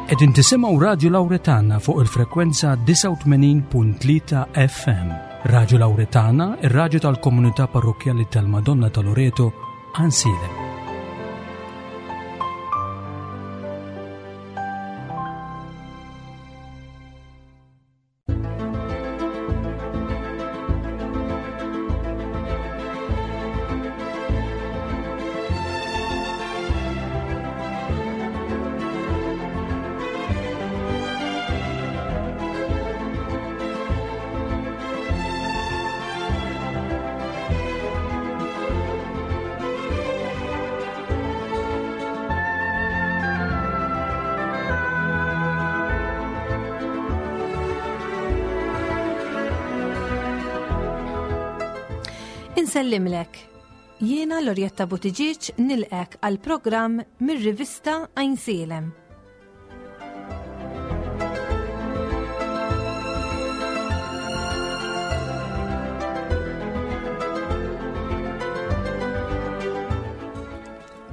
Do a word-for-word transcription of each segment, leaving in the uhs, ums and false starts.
Qegħdin tisimgħu Radio Lauretana fuq il-frekwenza disgħa u tmenin punt tlieta F M. Radio Lauretana, ir-raġu tal-komunità parrokjali tal-Madonna ta' Loreto, Għajnsielem. Insellimlek. Jiena Lorjetta Buttigieg nilqgħek għal programm mir-rivista Għajnsielem.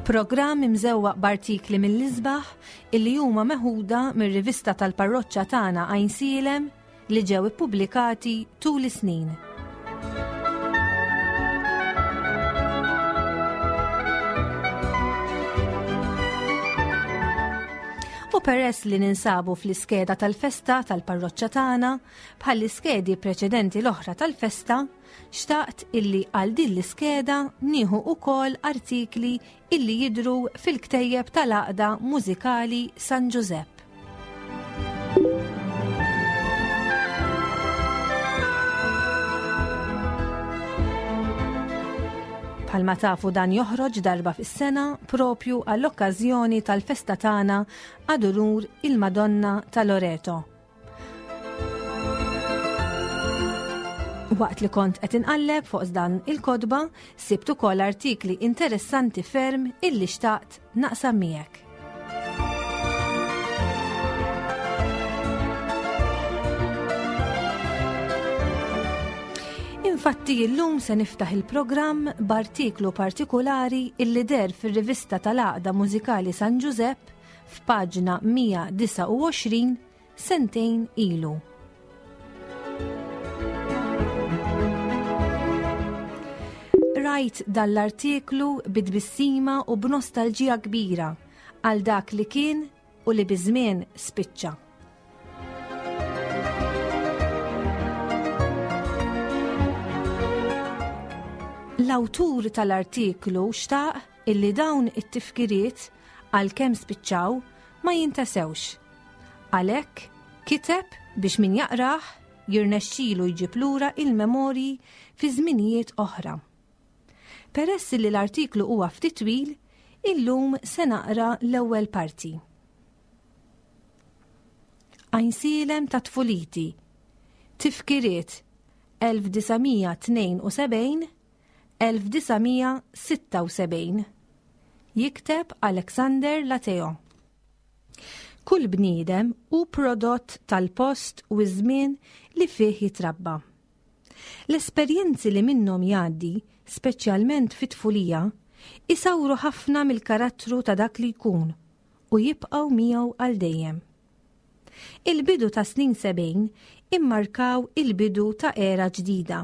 Programm imżewwaq b'artikli mill-isbaħ illi huma meħuda mir-rivista tal-parroċċa tagħna Għajnsielem li ġew ippubblikati tul is-snin. U peress li ninsabu fl-iskeda tal-festa tal-parroċċa tagħna, bħall-iskedi preċedenti l-oħra tal-festa, xtaqt illi għal din l-iskeda nieħu ukoll artikli illi jidru fil-ktejjeb tal-Għaqda Mużikali San Giuseppe. Bħalma tafu, dan joħroġ darba fis-sena, propju għall-okkażjoni tal-festa tagħna ad unur il-Madonna ta' Loreto. Waqt li kont qed inqalleb fuq dan il-kotba, sibt ukoll artikli interessanti ferm illi xtaqt naqsam miegħek. Infatti, illum se niftaħ il-programm b'artiklu partikolari illi deher fir-rivista tal-Għaqda Mużikali San Giuseppe f'paġna mija u disgħa u għoxrin sentejn ilu. Rajt dan l-artiklu bit-tbissima u b'nostalġija kbira għal dak li kien u li biż-żmien spiċċa. L-awtur tal-artiklu xtaq illi dawn it-tifkiriet, għalkemm spiċċaw, ma jintesewx. Għalhekk kiteb biex min jaqrah jirnexxilu jġib lura il-memorji fi żminijiet oħra. Peress li l-artiklu huwa ftit twil, illum se naqra l-ewwel parti. Għajnsielem ta' tfuliti. Tifkiriet elf disa' mija tnejn u sebgħin elf disa' mija sitta u sebgħin. Jikteb Alexander Lateo. Kull bniedem hu prodott tal-post u żmien li fih jitrabba. L-esperjenzi li minnhom jgħaddi, speċjalment fit-tfulija, isawru ħafna mill-karattru ta' dak li jkun u jibqgħu miegħu għal dejjem. Il-bidu ta' snin sebgħin immarkaw il-bidu ta' era ġdida.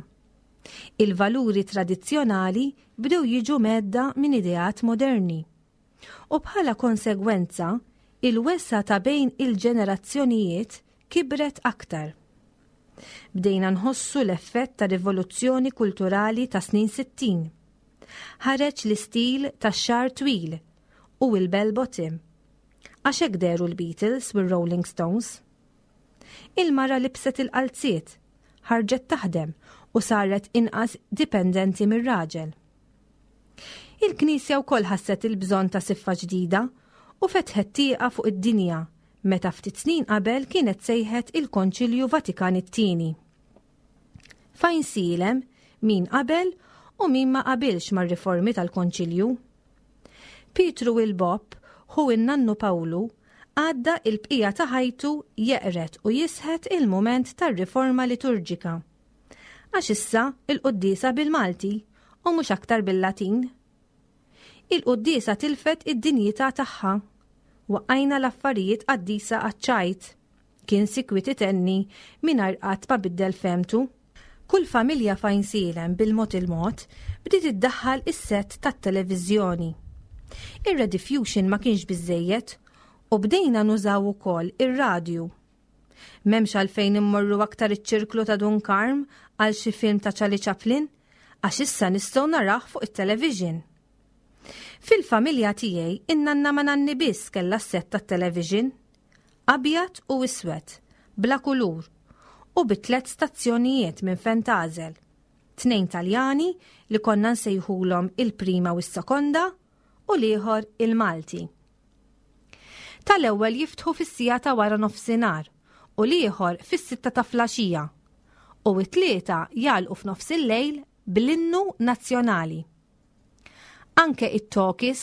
Il-valuri tradizzjonali bdew jiġu mhedda minn ideat moderni. U bħala konsegwenza, il-wesgħa ta' bejn il-ġenerazzjonijiet kibret aktar. Bdejna nħossu l-effett ta' rivoluzzjoni kulturali ta' snin sittin. Ħareġ l-istil ta' xagħar twil u il-bell bottom. Għax hekk dehru l-Beatles u Rolling Stones. Il-mara libset il-qalziet, ħarġet taħdem u saret inqas dipendenti mir-raġel. Il-Knisja wkoll ħasset il-bżonn ta' siffa ġdida u fetħet tieqa fuq id-dinja meta ftit snin qabel kienet sejħet il-Konċilju Vatikan it-Tieni. F'Għajnsielem min qabel u min ma qabilx mar-riformi tal-Konċilju. Pietru il-Bob, ħu in-nannu Pawlu, għadda il-bqija ta' ħajtu jeqret u jisħet il-moment tar-riforma liturġika. Għax issa il-quddiesa bil-Malti u mhux aktar bil-Latin. Il-quddiesa tilfet id-dinjità tagħha. Waqqajna l-affarijiet qaddisa għaċ-ċajt. Kien sikwit itenni mingħajr qatt ma biddel fehmtu. Kull familja f'Għajnsielem bil-mod il-mod bdiet iddaħħal is-sett tat-televiżjoni. Ir-Rediffusion ma kienx biżejjed u bdejna nużaw ukoll ir-radju. M'hemmx għalfejn immorru aktar iċ-ċirklu ta' Dun Karm għal xi film ta' Charlie Chaplin għax issa nistgħu narah fuq it-television. Fil-familja tiegħi in-nanna ma' nanni biss kellha s-sett tat-television. Abjad u iswed, bla kulur, u bi tliet stazzjonijiet minn fejn tagħżel. Tnejn Taljani li konna nsejħulhom il-prima u s-sekonda u l-ieħor il-Malti. Tal-ewwel jiftħu fis-siegħa ta' wara nofsinhar u l-ieħor fis-sitta ta' filgħaxija u t-tlieta jagħlqu f'nofs il-lejl bl-innu nazzjonali. Anke it-talkies,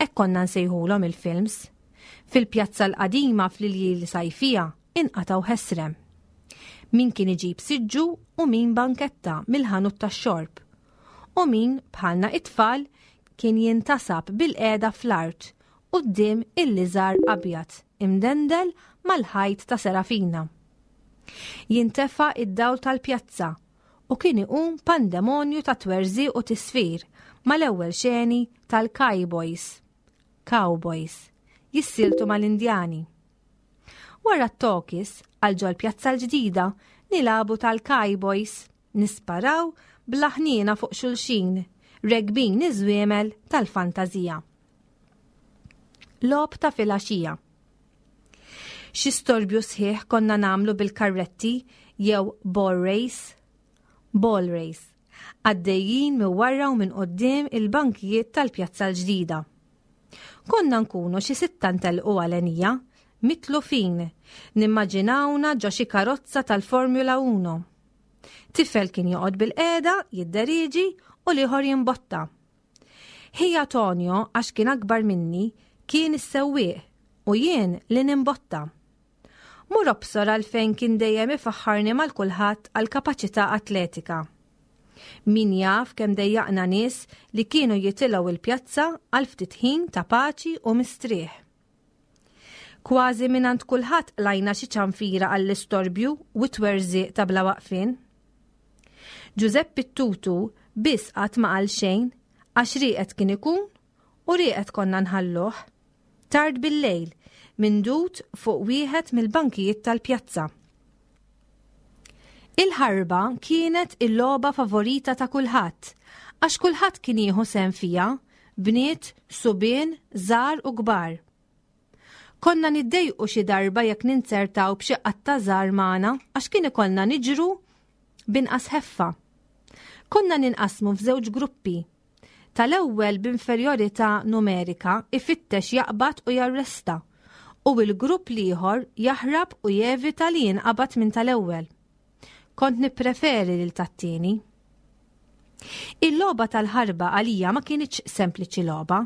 hekk konna nsejħulhom il-films, fil-pjazza l-qadima fl-iljieli sajfija inqatgħu ħesrem. Min kien iġib siġġu u min banketta mill-ħanut tax-xorb. U min bħalna it-tfal kien jintasab bil-qiegħda fl-art quddiem il-liżar abjad imdendel mal-ħajt ta' Serafina. Jintefa id-dawl tal-pjazza u kien iqum pandemonju ta' twerżiq u tisfir mal-ewwel xeni tal-Cowboys. Cowboys jissieltu mal-Indjani. Wara t-talkies għal ġol-pjazza l-ġdida nilagħbu tal-Cowboys, nisparaw bla ħniena fuq xulxin, rekbin iż-żwiemel tal-fantażija. Logħob ta' filgħaxija. Xi storbju sħiħ konna nagħmlu bil-karretti jew ball race? Ball race. Għaddejjin minn wara u minn quddiem il-bankijiet tal-pjazza l-ġdida. Konna nkunu xi sitta ntelqu għalenija, mitlufin, nimmaġinawna ġo xi karozza tal-Formula Uno. Tifel kien joqgħod bil-qiegħda, jidderieġi u l-ieħor jimbotta. Ħija Tonio, għax kien akbar minni, kien is-sewwieq u jien li nimbotta. Mur obsor għalfejn kien dejjem ifaħħarni mal-kulħadd għal kapaċità atletika. Min jaf kemm dejjaqna nies li kienu jitilgħu il-pjazza għal ftit ħin ta' paċi u mistrieħ. Kważi mingħand kulħadd qlajna xi ċanfira għall-istorbju u t-twerżiq ta' bla waqfien. Ġużeppi Tutu biss qatt ma qal xejn għax rieqed kien ikun u rieqed konna nħalluh. Tard bil-lejl, mindud fuq wieħed mill-bankijiet tal-pjazza. Il-ħarba kienet il-logħba favorita ta' kulħadd, għax kulħadd kien jieħu sehem fiha, bniet, subien, żgħar u kbar. Konna niddejqu xi darba jekk ninzertaw b'xi qatta żgħar magħna għax kien ikollna niġru b'inqas ħeffa. Konna ninqasmu f'żewġ gruppi. Tal-ewwel b'inferjorità numerika ifittex jaqbad u jarresta u l-grupp l-ieħor jaħrab u jevita li jinqabad minn tal-ewwel. Kont nippreferi lil tat-tieni. Il-logħba tal-ħarba għalija ma kinitx sempliċi logħba.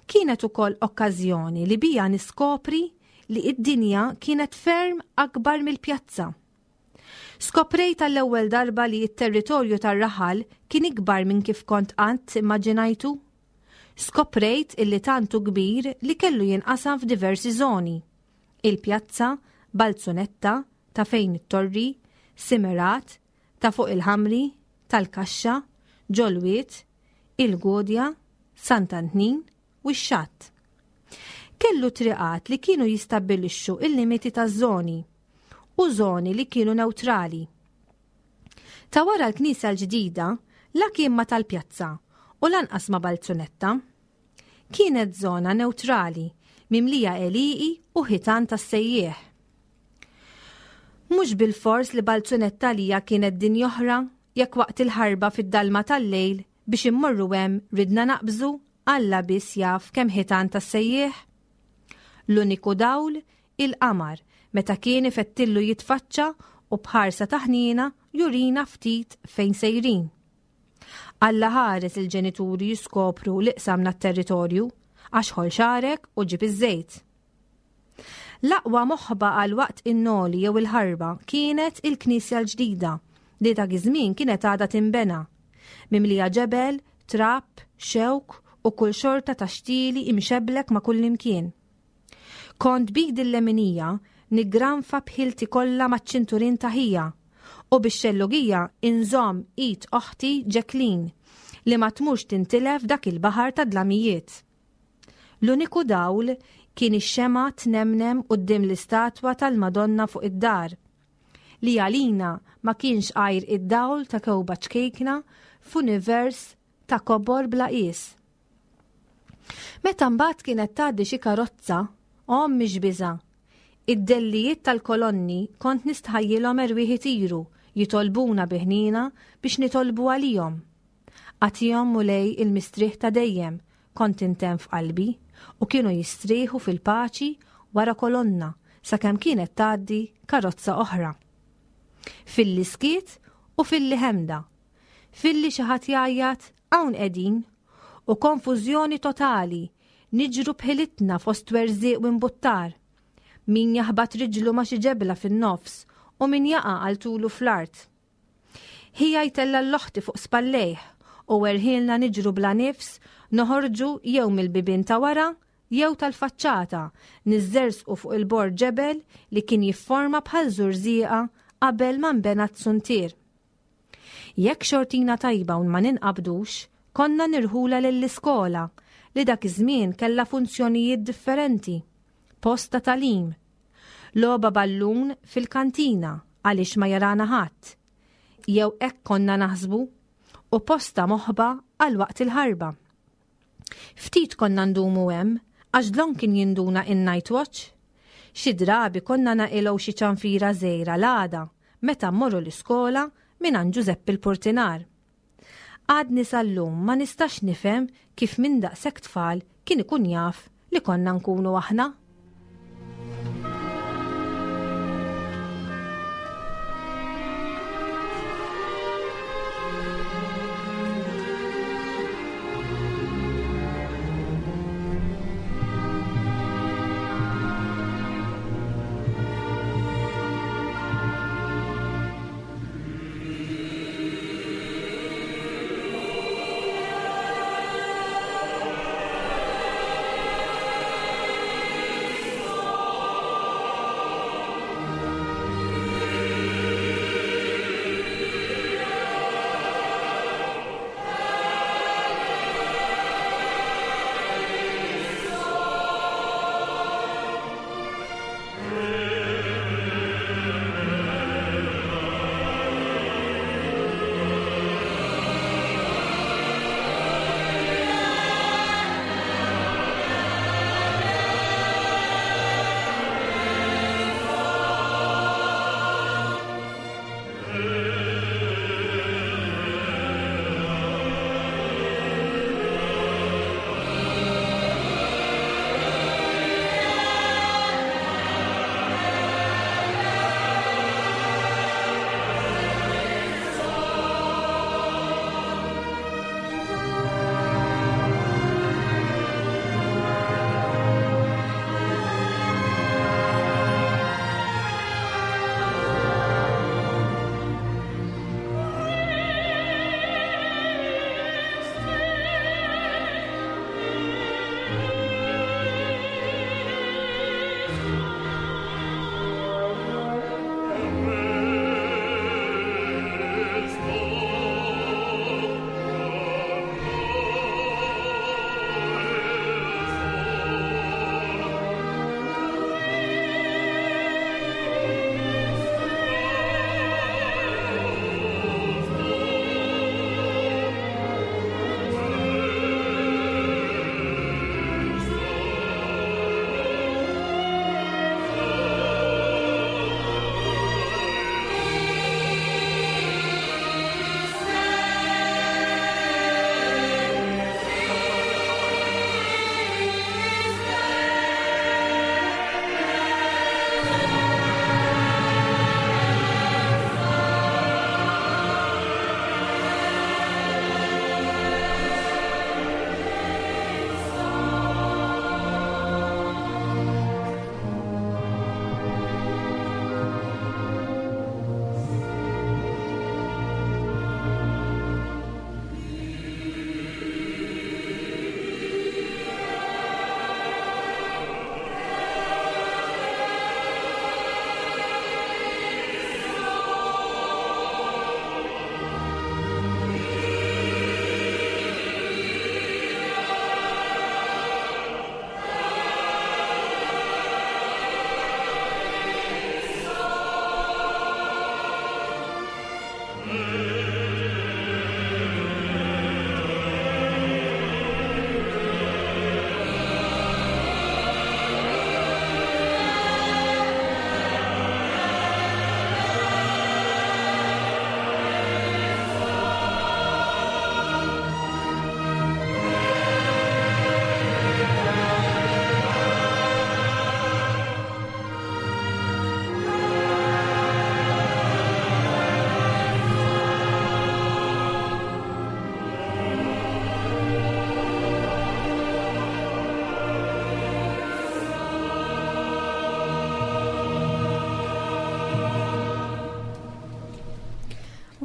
Kienet ukoll okkażjoni li bija niskopri li id-dinja kienet ferm akbar mill-pjazza. Skoprejt għall-ewwel darba li t-territorju tar-raħal kien ikbar minn kif kont qatt immaġinajtu. Skoprejt illi tant hu kbir li kellu jinqasam f'diversi żoni. Il-pjazza, Balzunetta, ta' fejn it-torri, Simerat, ta' fuq il-Ħamri, tal-Kaxxa, Ġolwiet, il-Gudja, Sant'Antnin u x-Xatt. Kellu triqat li kienu jistabbilixxu il-limiti taż-żoni u żoni li kienu neutrali. Ta' wara l-knisja l-ġdida la kien ma tal-pjazza u lanqas ma Balzunetta. Kienet żona neutrali mimlija għelieqi u ħitan tas-sejjieħ. Mhux bil-fors li Balzunetta lija kienet dinja oħra jekk waqt il-ħarba fid-dalma tal-lejl biex immorru hemm ridna naqbżu Alla biss jaf kemm ħitan tas-sejjieħ. L-uniku dawl il-qamar meta kien ifettillu jitfaċċa u b'ħarsa ta' ħniena jurina ftit fejn sejrin. Alla ħares il-ġenituri jiskopru li qsamna t-territorju għax ħol xagħrek u ġib iż-żejt. L-aqwa moħba għal waqt in-noli jew il-ħarba kienet il-knisja l-ġdida li dak iż-żmien kienet għadha tinbena, mimlija ġebel, trab, xewk u kull xorta ta' xtieli imxeblek ma' kull imkien. Kont b'idi l-leminija niggranfa b'ħilti kollha maċ-ċinturin ta' ħija u bix-xellugija inżomm id oħti Jacqueline li ma tmurx tintilef dak il-baħar ta' dlamijiet. L-uniku dawl kien ix-xemgħa tnemnem quddiem l-istatwa tal-Madonna fuq id-dar, li għalina ma kienx għajr id-dawl ta' kewba ċkejkna f'univers ta' kobor bla qies. Meta mbagħad kienet tgħaddi xi karozza, ommi x'biża'. Id-dellijiet tal-kolonni kont nistħajjilhom erwieħ itiru jitolbuna bi ħniena biex nitolbu għalihom. Agħtihom Mulej il-mistrieħ ta' dejjem, kont intemm f'qalbi, u kienu jistrieħu fil-paċi wara kolonna sakemm kienet tgħaddi karozza oħra. Filli skiet u filli ħemda. Filli xi ħadd jgħajjat hawn qegħdin u konfużjoni totali, niġru b'ħilitna fost werżieq u imbuttar. Min jaħbat riġlu ma' xi ġebla fin-nofs u min jaqa' għal tulu fl-art. Ħija jtella' l-oħti fuq spallejh u werħilna niġru bla nifs noħorġu jew mill-bibien ta' wara jew tal-faċċata, niżżersqu fuq il-bord ġebel li kien jifforma bħal żurżieqa qabel ma nbena t-suntier. Jekk xortina tajba u ma ninqabdux, konna nirħula lill-iskola li dak iż-żmien kellha funzjonijiet differenti. Post ta' tagħlim, logħba ballun fil-kantina għaliex ma jarana ħadd, jew hekk konna naħsbu, u posta moħba għal waqt il-ħarba. Ftit konna ndumu hemm għax dlon kien jinduna in-night watch. Xi drabi konna naqilgħu xi ċanfira żgħira l-għada meta mmorru l-iskola minn Ġużeppi l-Portinar. Għadni sal-lum ma nistax nifhem kif minn daqshekk tfal kien ikun jaf li konna nkunu aħna.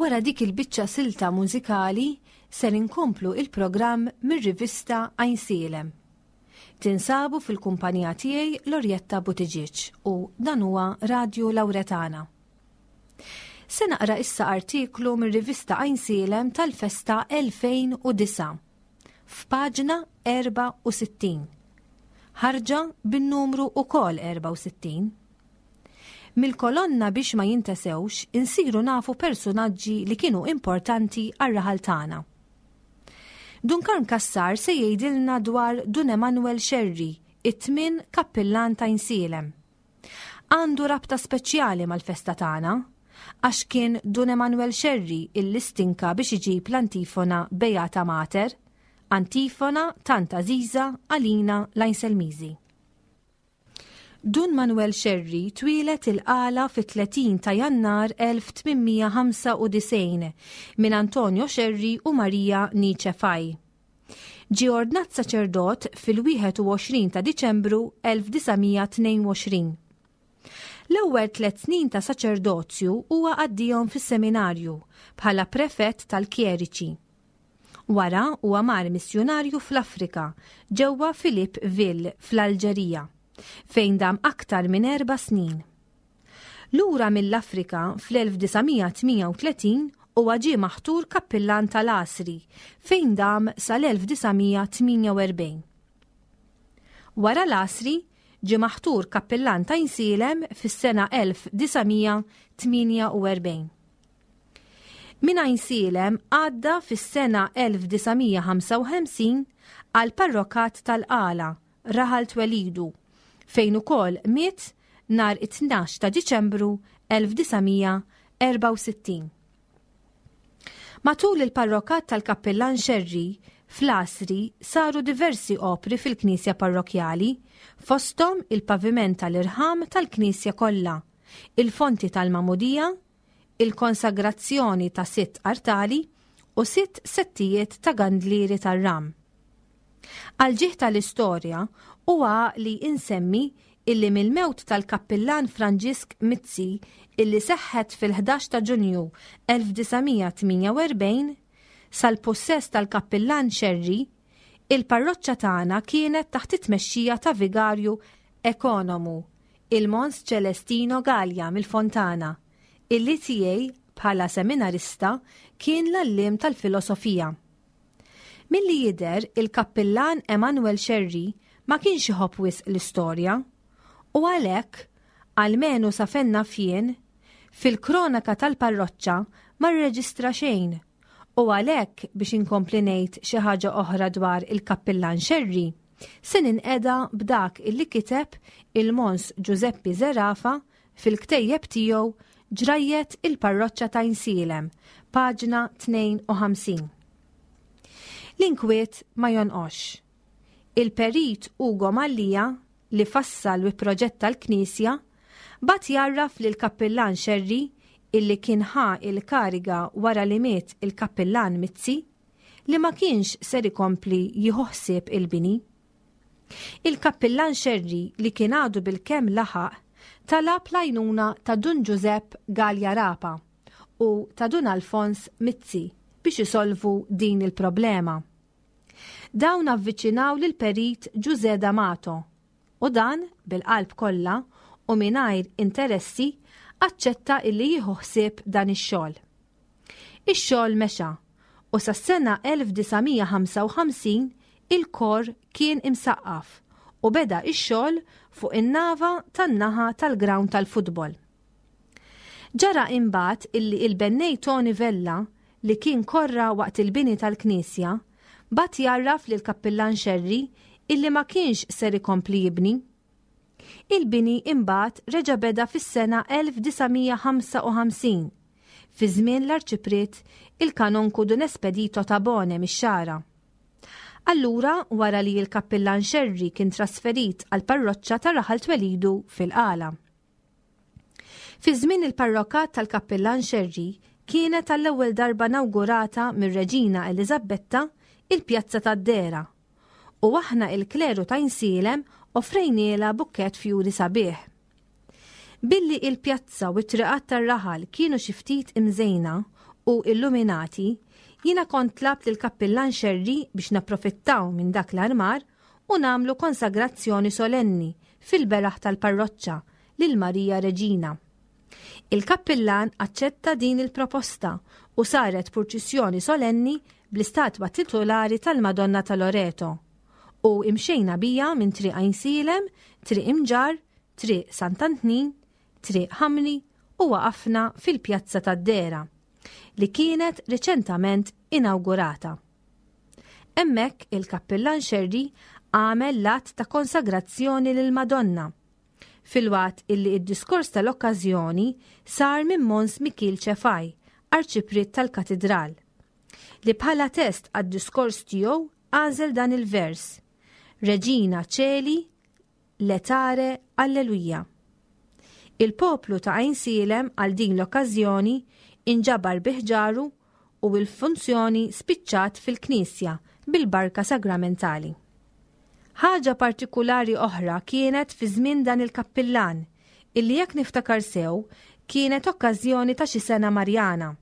Wara dik il-biċċa silta mużikali ser inkomplu il-programm mir-rivista Għajnsielem. Tinsabu fil-kumpanija tiegħi Lorjetta Buttigieg u dan huwa Radio Lauretana. Se naqra issa artiklu mir-rivista Għajnsielem tal-festa elfejn u disgħa f'paġna erbgħa u sittin. Ħarġa bin-numru ukoll erbgħa u sittin. Mill-kolonna "Biex ma jintesewx" insiru nafu personaġġi li kienu importanti għar-raħal tagħna. Dun Karm Kassar se jgħidilna dwar Dun Emanuel Scerri, it-tmien kappillan ta' Għajnsielem. Għandu rabta speċjali mal-festa tagħna, għax kien Dun Emanuel Scerri illi stinka biex iġib l-antifona "Beata Mater", antifona tant għażiża għalina l-Għajnselmiżi. Dun Manuel Scerri twieled il-Qala fit-tletin ta' Jannar elf tmien mija ħamsa u disgħin minn Antonio Scerri u Maria Nice Faj. Ġie ordnat saċerdot fil-wieħed u għoxrin ta' Diċembru elf disa' mija tnejn u għoxrin. L-ewwel tliet snin ta' saċerdozju huwa għaddihom fis-seminarju bħala prefett tal-kjeriċi. Wara huwa mar missjonarju fl-Afrika ġewwa Philippeville fl-Alġerija, fejn dam aktar minn erba' snin. Lura mill-Afrika fl-elf disa' mija tmienja u tletin huwa ġie maħtur kappillan tal-Għasri, fejn dam sal-elf disa' mija tmienja u erbgħin. Wara l-Għasri ġie maħtur kappillan ta' Għajnsielem fis-sena elf disa' mija tmienja u erbgħin. Min Għajnsielem għadda fis-sena elf disa' mija ħamsa u ħamsin għal parrokat tal-Qala, raħal twelidu, fejn ukoll miet nhar it-tnax ta' Diċembru elf disa' mija erbgħa u sittin. Matul il-parrokat tal-Kappillan Scerri, fl-Għasri saru diversi opri fil-Knisja parrokjali, fosthom il-paviment tal-irħam tal-Knisja kollha, il-fonti tal-Magħmudija, il-konsagrazzjoni ta' sitt artali u sitt settijiet ta' gandlieri tar-ram. Għal-ġieħ tal-istorja huwa li insemmi illi mill-mewt tal-kappillan Franġisk Mizzi, illi seħħet fil-ħdax ta' Ġunju elf disa' mija tmienja u erbgħin, sal-possess tal-kappillan Scerri, il-parroċċa tagħna kienet taħt it-tmexxija ta' vigarju ekonomu, il-Mons Celestino Gallia mill-Fontana, illi tiegħi bħala seminarista kien l-għalliem tal-filosofija. Milli jidher, il-kappillan Emanuel Scerri ma kienx iħobb wisq l-istorja u għalhekk, almenu sa fejn naf jien, fil-kronaka tal-parroċċa ma rreġistra xejn, u għalhekk biex inkompli ngħid xi ħaġa oħra dwar il-kappillan Scerri se ninqeda b'dak illi kiteb il-Mons Giuseppe Zerafa fil-ktejjeb tiegħu "Ġrajjet il-Parroċċa ta' Għajnsielem", paġna tnejn u ħamsin. L-inkwiet ma jonqosx. Il-perit Ugo Mallia, li fassal u proġetta l-Knisja, bagħat jgħarraf lil kappillan Scerri, illi kien ħa il-kariga wara li miet il-kappillan Mizzi, li ma kienx ser ikompli jieħu ħsieb il-bini. Il-kappillan Scerri, li kien għadu bil-kemm laħaq, talab l-għajnuna ta' Dun Giuseppe Gallia Rapa u ta' Dun Alfons Mizzi biex isolvu din il-problema. Dawn avviċinaw lil perit Giuseppe D'Amato u dan bil-qalb kollha u mingħajr interessi aċċetta illi jieħu ħsieb dan ix-xogħol. Ix-xogħol mexa u sas-sena elf disa' mija ħamsa u ħamsin il-kor kien imsaqqaf u beda ix-xogħol fuq in-nava tan-naħa tal-ground tal-futbol. Ġara imbagħad illi il-bennej Tony Vella, li kien korra waqt il-bini tal-Knisja, bagħat jgħarraf lil kappillan Scerri illi ma kienx ser ikompli jibni. Il-bini imbagħad reġa' beda fis-sena elf disa' mija ħamsa u ħamsin fi żmien l-arċipriet il-kanonku Dun Espedito Tabone mix-Xagħra. Allura wara li l-kappillan Scerri kien trasferit għal parroċċa ta' raħal twelidu fil-Qala. Fi żmien il-parrokat tal-kappillan Scerri kienet għall-ewwel darba nawgurata mir-Reġina Eliżabetta il-Pjazza tad-Dera u aħna il-kleru ta' Għajnsielem offrejnielha bukkett fjuri sabiħ. Billi il-pjazza u t-triqat tar-raħal kienu xi ftit imżejna u u illuminati, jiena kont tlabt lill-Kappillan Xerri biex napprofittaw minn dak l-armar u nagħmlu konsagrazzjoni solenni fil-beraħ tal-parroċċa lil Marija Reġina. Il-kappillan aċċetta din il-proposta u saret purċissjoni solenni bl-istatwa titolari tal-Madonna ta' Loreto u imxejna bija minn Triq Għajnsielem, Triq Imġarr, Triq Sant'Antnin, Triq Ħamri u waqafna fil-Pjazza tad-Dehra li kienet riċentament inawgurata. Hemmhekk il-Kappillan Xerri għamel l-att ta' konsagrazzjoni lill-Madonna, filwaqt illi id-diskors tal-okkażjoni sar minn Mons Mikiel Ċefaj, arċipriet tal-Katidral, li bħala test għad-diskors tiegħu għażel dan il-vers: Reġina Ċeli, Letare, Alleluja. Il-poplu ta' Għajnsielem għal din l-okkażjoni inġabar biħġaru u l-funzjoni spiċċat fil-knisja bil-barka sagramentali. Ħaġa partikulari oħra kienet fi żmien dan il-kappillan, illi jekk niftakar sew kienet okkażjoni ta' xi sena Marjana.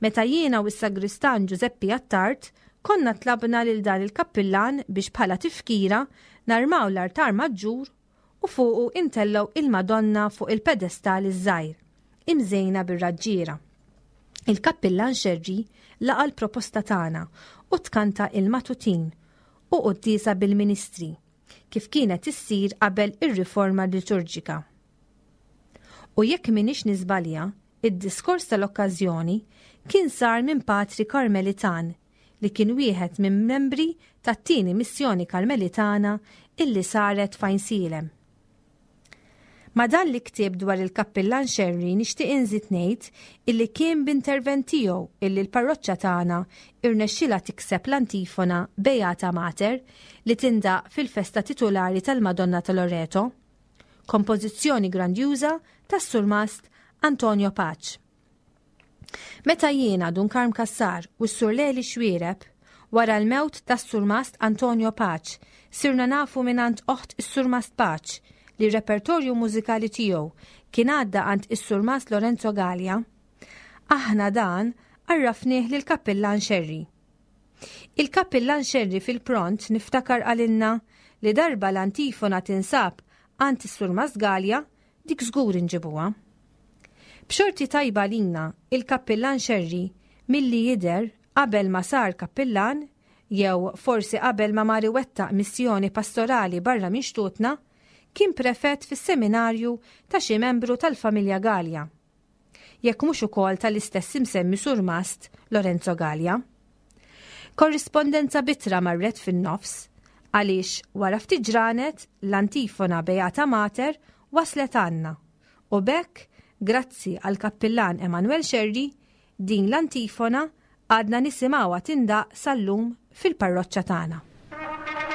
Meta jiena u s-sagristan Giuseppi Attard konna tlabna lil dan il-kappillan biex bħala tifkira narmaw l-artar maġġur u fuqu intellgħu il-Madonna fuq il-pedestal iż-żgħir, imżejna bir-raġġiera. Il-kappillan Xerri laqa l-proposta tagħna u tkanta il-matutin u quddiesa bil-ministri, kif kienet issir qabel ir-riforma liturġika. U jekk minix niżbalja, id-diskors tal-okkażjoni kien sar minn Patri Karmelitan li kien wieħed minn membri tat-tieni missjoni Karmelitana illi saret f'Għajnsielem. Ma dan li ktieb dwar il-kappillan Xerri nixtieq inżid ngħid illi kien b'intervent tiegħu illi l-parroċċa tagħna irnexxilha tikseb l-antifona Beata Mater li tindaq fil-festa titulari tal-Madonna ta' Loreto, kompożizzjoni grandjuża tas-surmast Antonio Pace. Meta jiena Dun Karm Cassar u s-Sur Leli Xwiereb wara l-mewt tas-surmast Antonio Pace sirna nafu minant oħt is-surmast Pace li r-repertorju mużikali tiegħu kien għadda għand is-surmast Lorenzo Gallia, aħna dan għarrafnieh lil kappillan Xerri. Il-kappillan Xerri fil-pront niftakar għalinna li darba l-antifona tinsab għand is-surmast Gallia dik żgur inġibuha. B'xorti tajba lina, il-kappillan Xerri milli jidher qabel ma sar kappillan, jew forsi qabel ma mar iwettaq missjoni pastorali barra minn xtutna, kien prefett fis-seminarju ta' xi membru tal-familja Gallia. Jekk mhux ukoll tal-istess imsemmi surmast Lorenzo Gallia. Korrispondenza bitra marret fin-nofs għaliex wara ftit ġranet l-antifona Beata Mater waslet għandna u bekk, grazzi għal kappillan Emanuel Xerri, din l-antifona għadna nisimgħuha tindaq sal-lum fil-parroċċa tagħna. Amen.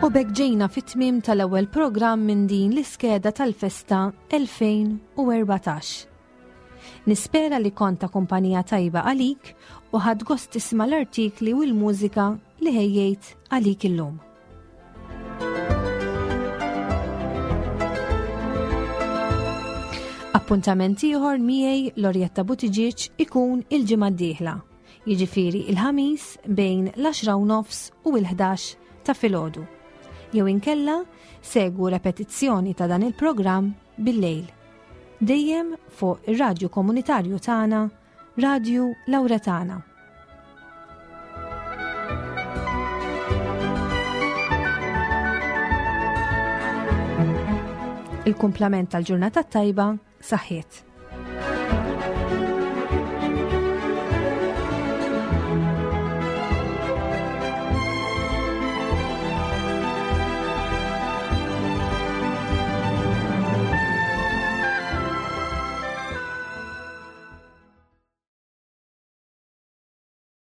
U b'hekk ġejna fit-tmiem tal-ewwel programm minn din l-iskeda tal-festa elfejn u erbatax. Nispera li kont ta' kumpanija tajba għalik u ħadt gost tisma' l-artikli u l-mużika li ħejjejt għalik illum. Appuntament ieħor miegħi, Lorjetta Buttigieg, ikun il-ġimgħa d-dieħla, jiġifieri il-Ħamis bejn l-għaxra u nofs u l-ħdax ta' filgħodu. Jew inkella segwu repetizzjoni ta' dan il-programm bil-lejl. Dejjem fuq ir-radju komunitarju tagħna, Radju Lauretana. Il-kumplament tal-ġurnata tajba, saħħiet.